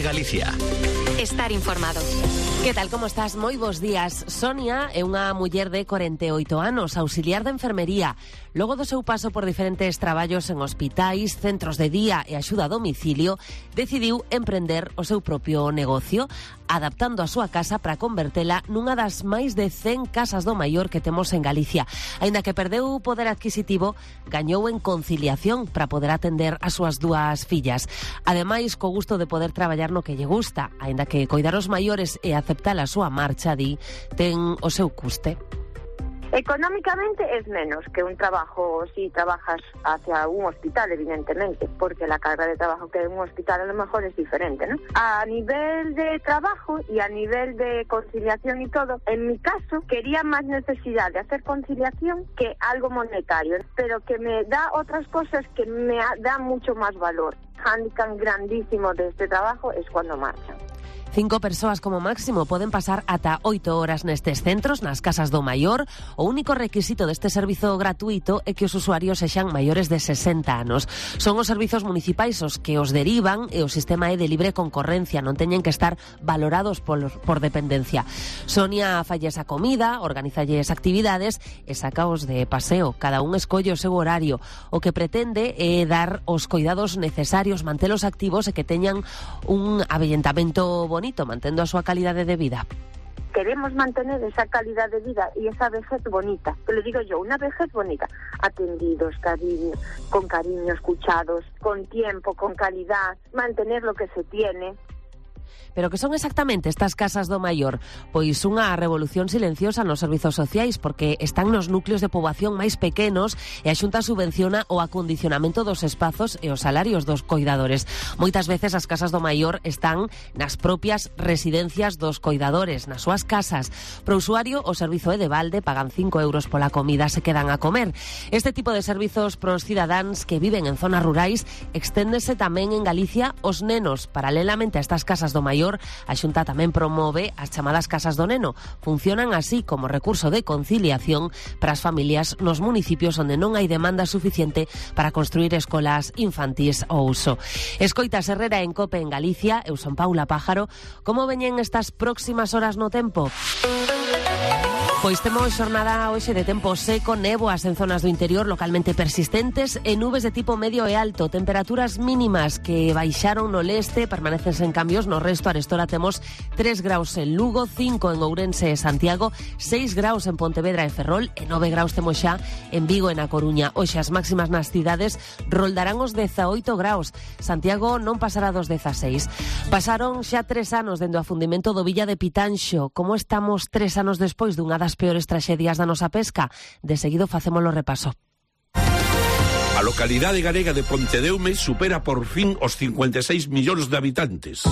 COPE Galicia. Estar informado. Que tal, como estás? Moi bos días. Sonia é unha muller de 48 anos, auxiliar de enfermería. Logo do seu paso por diferentes traballos en hospitais, centros de día e axuda a domicilio, decidiu emprender o seu propio negocio, adaptando a súa casa para convertela nunha das máis de 100 casas do maior que temos en Galicia. Aínda que perdeu o poder adquisitivo, gañou en conciliación para poder atender as súas dúas fillas. Ademais, co gusto de poder traballar no que lle gusta, aínda que coidar os maiores e aceptar a súa marcha, di, ten o seu custe. Económicamente es menos que un trabajo si trabajas hacia un hospital, evidentemente, porque la carga de trabajo que hay en un hospital a lo mejor es diferente, ¿no? A nivel de trabajo y a nivel de conciliación y todo, en mi caso quería más necesidad de hacer conciliación que algo monetario, pero que me da otras cosas que me da mucho más valor. Handicap grandísimo de este trabajo es cuando marchan. 5 persoas como máximo poden pasar ata 8 horas nestes centros, nas casas do maior. O único requisito deste servizo gratuito é que os usuarios sexan maiores de 60 anos. Son os servizos municipais os que os derivan e o sistema é de libre concorrencia, non teñen que estar valorados por dependencia. Sonia falles a comida, organizalles actividades e sacaos de paseo. Cada un escolle o seu horario. O que pretende é dar os coidados necesarios, mantelos activos e que teñan un avellentamento bonito, mantendo a súa calidade de vida. Queremos mantener esa calidad de vida y esa vejez bonita, que le digo yo, una vejez bonita, atendidos, con cariño, escuchados, con tiempo, con calidad, mantener lo que se tiene. Pero que son exactamente estas casas do maior? Pois unha revolución silenciosa nos servizos sociais, porque están nos núcleos de poboación máis pequenos e a Xunta subvenciona o acondicionamento dos espazos e os salarios dos coidadores. Moitas veces as casas do maior están nas propias residencias dos coidadores, nas súas casas. Pro usuario, o servizo é de balde, pagan 5 euros pola comida, se quedan a comer. Este tipo de servizos pros cidadáns que viven en zonas rurais exténdese tamén en Galicia os nenos. Paralelamente a estas casas do maior, a Xunta tamén promove as chamadas casas do neno. Funcionan así como recurso de conciliación para as familias nos municipios onde non hai demanda suficiente para construir escolas infantís ao uso. Escoitas Herrera en COPE en Galicia. Eu son Paula Pájaro. Como veñen estas próximas horas no tempo? Pois temos xornada hoxe de tempo seco, néboas en zonas do interior localmente persistentes e nubes de tipo medio e alto, temperaturas mínimas que baixaron no leste, permanecen sen cambios no resto. Arestora temos 3 graus en Lugo, 5 en Ourense e Santiago, 6 graus en Pontevedra e Ferrol e 9 graus temos xa en Vigo e na Coruña. Hoxe as máximas nas cidades roldarán os 18 graus. Santiago non pasará dos 16. Pasaron xa 3 anos dende o afundimento do Villa de Pitanxo. Como estamos 3 anos despois dunha das peores traxedias da nosa pesca? De seguido facémolo repaso. A localidade galega de Pontedeume supera por fin os 56 millóns de habitantes.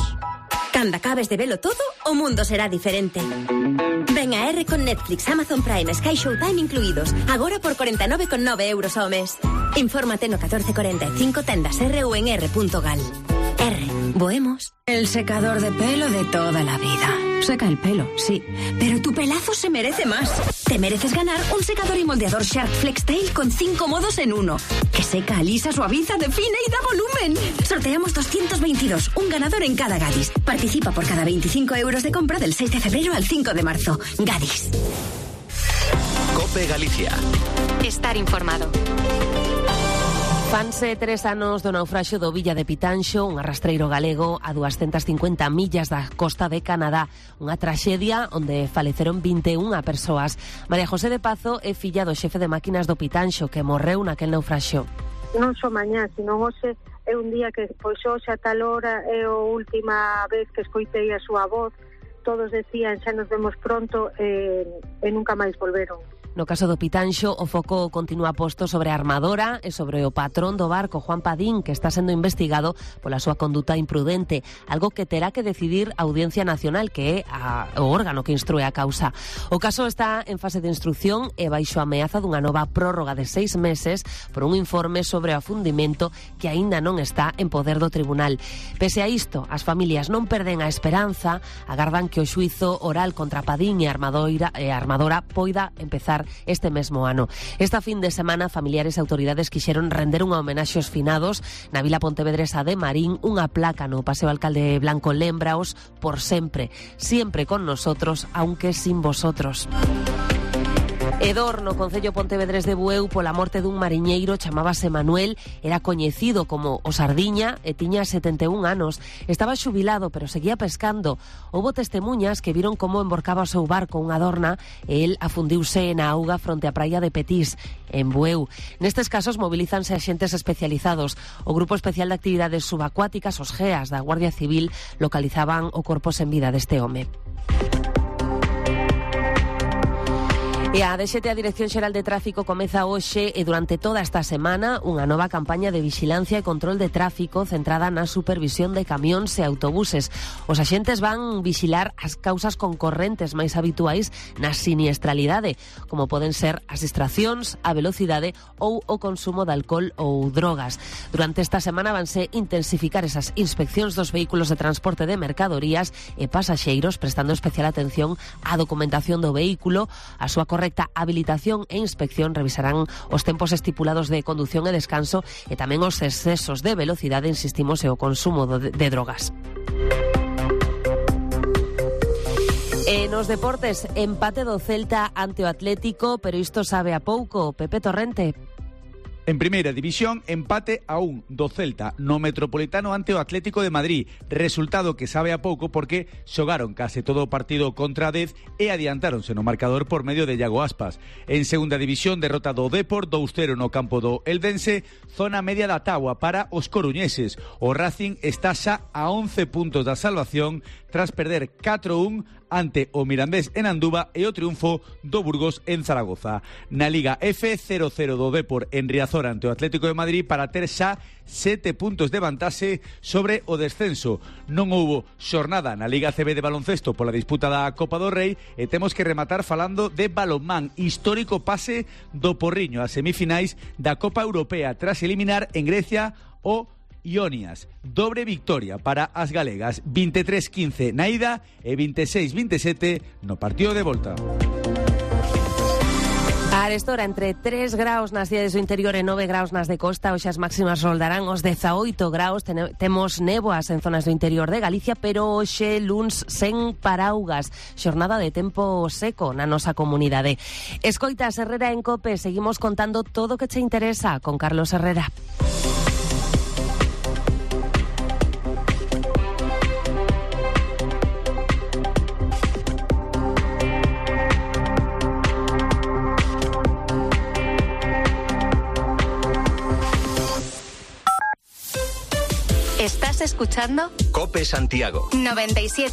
Cando acabes de velo todo, o mundo será diferente. Ven a R con Netflix, Amazon Prime, Sky Showtime incluídos. Agora por 49,9 euros ao mes. Infórmate no 1445 tendas R ou en r.gal. R, bohemos. El secador de pelo de toda la vida. Seca el pelo, sí, pero tu pelazo se merece más. Te mereces ganar un secador y moldeador Shark FlexTail con 5 modos en uno. Que seca, alisa, suaviza, define y da volumen. Sorteamos 222, un ganador en cada Gadis. Participa por cada 25 euros de compra del 6 de febrero al 5 de marzo. Gadis. COPE Galicia. Estar informado. Fanse 3 anos do naufraxio do Villa de Pitanxo, un arrastreiro galego a 250 millas da costa de Canadá. Unha traxedia onde faleceron 21 persoas. María José de Pazo é filla do xefe de máquinas do Pitanxo, que morreu naquel naufraxio. Non só mañá, sino hoxe é un día que, pois hoxe a tal hora é a última vez que escoitei a súa voz. Todos decían, xa nos vemos pronto, e nunca máis volveron. No caso do Pitanxo, o foco continúa posto sobre a armadora e sobre o patrón do barco, Juan Padín, que está sendo investigado pola súa conduta imprudente, algo que terá que decidir a Audiencia Nacional, que é o órgano que instrue a causa. O caso está en fase de instrucción e baixo a ameaza dunha nova prórroga de 6 meses por un informe sobre o afundimento que aínda non está en poder do tribunal. Pese a isto, as familias non perden a esperanza, agardan que o xuízo oral contra Padín e a armadora poida empezar este mesmo ano. Esta fin de semana, familiares e autoridades quixeron render unha homenaxe aos finados na vila pontevedresa de Marín, unha placa no Paseo Alcalde Blanco lémbraos por sempre, siempre con nosotros, aunque sin vosotros. Edor, no concello pontevedrés de Bueu, pola morte dun mariñeiro, chamábase Manuel, era coñecido como o Sardiña e tiña 71 anos. Estaba xubilado, pero seguía pescando. Houbo testemunhas que viron como emborcaba o seu barco unha adorna e el afundiuse na auga fronte á praia de Petís, en Bueu. Nestes casos mobilízanse axentes especializados. O Grupo Especial de Actividades Subacuáticas, os GEAS da Guardia Civil, localizaban o corpo sen vida deste home. E a DXT, a Dirección Xeral de Tráfico, comeza hoxe e durante toda esta semana unha nova campaña de vixilancia e control de tráfico centrada na supervisión de camións e autobuses. Os axentes van vixilar as causas concorrentes máis habituais na siniestralidade, como poden ser as distraccións, a velocidade ou o consumo de alcohol ou drogas. Durante esta semana vanse intensificar esas inspeccións dos vehículos de transporte de mercadorías e pasaxeiros, prestando especial atención á documentación do vehículo, a súa correcta habilitación e inspección. Revisarán os tempos estipulados de condución e descanso e tamén os excesos de velocidade, insistimos, e o consumo de drogas. E nos deportes, empate do Celta ante o Atlético, pero isto sabe a pouco. Pepe Torrente. En primeira división, empate a 1 do Celta no Metropolitano ante o Atlético de Madrid. Resultado que sabe a pouco porque xogaron case todo o partido contra a 10 e adiantáronse no marcador por medio de Iago Aspas. En segunda división, derrota do Depor 2-0 no campo do Eldense, zona media da táboa para os coruñeses. O Racing está xa a 11 puntos da salvación tras perder 4-1 ante o Mirandés en Anduva e o triunfo do Burgos en Zaragoza. Na Liga F, 0-0 do Depor en Riazor ante o Atlético de Madrid para ter xa 7 puntos de vantaxe sobre o descenso. Non houbo xornada na Liga CB de baloncesto pola disputa da Copa do Rei e temos que rematar falando de balonmán, histórico pase do Porriño a semifinais da Copa Europea tras eliminar en Grecia o Ionias. Dobre victoria para as galegas, 23-15 na ida e 26-27 no partido de volta. A arestora, entre 3 graus nas cidades do interior e 9 graus nas de costa, hoxe as máximas roldarán os 18 graus. Temos néboas en zonas do interior de Galicia, pero hoxe luns sen paraugas. Xornada de tempo seco na nosa comunidade. Escoitas Herrera en COPE, seguimos contando todo o que che interesa con Carlos Herrera. ¿Estás escuchando? COPE Santiago 97.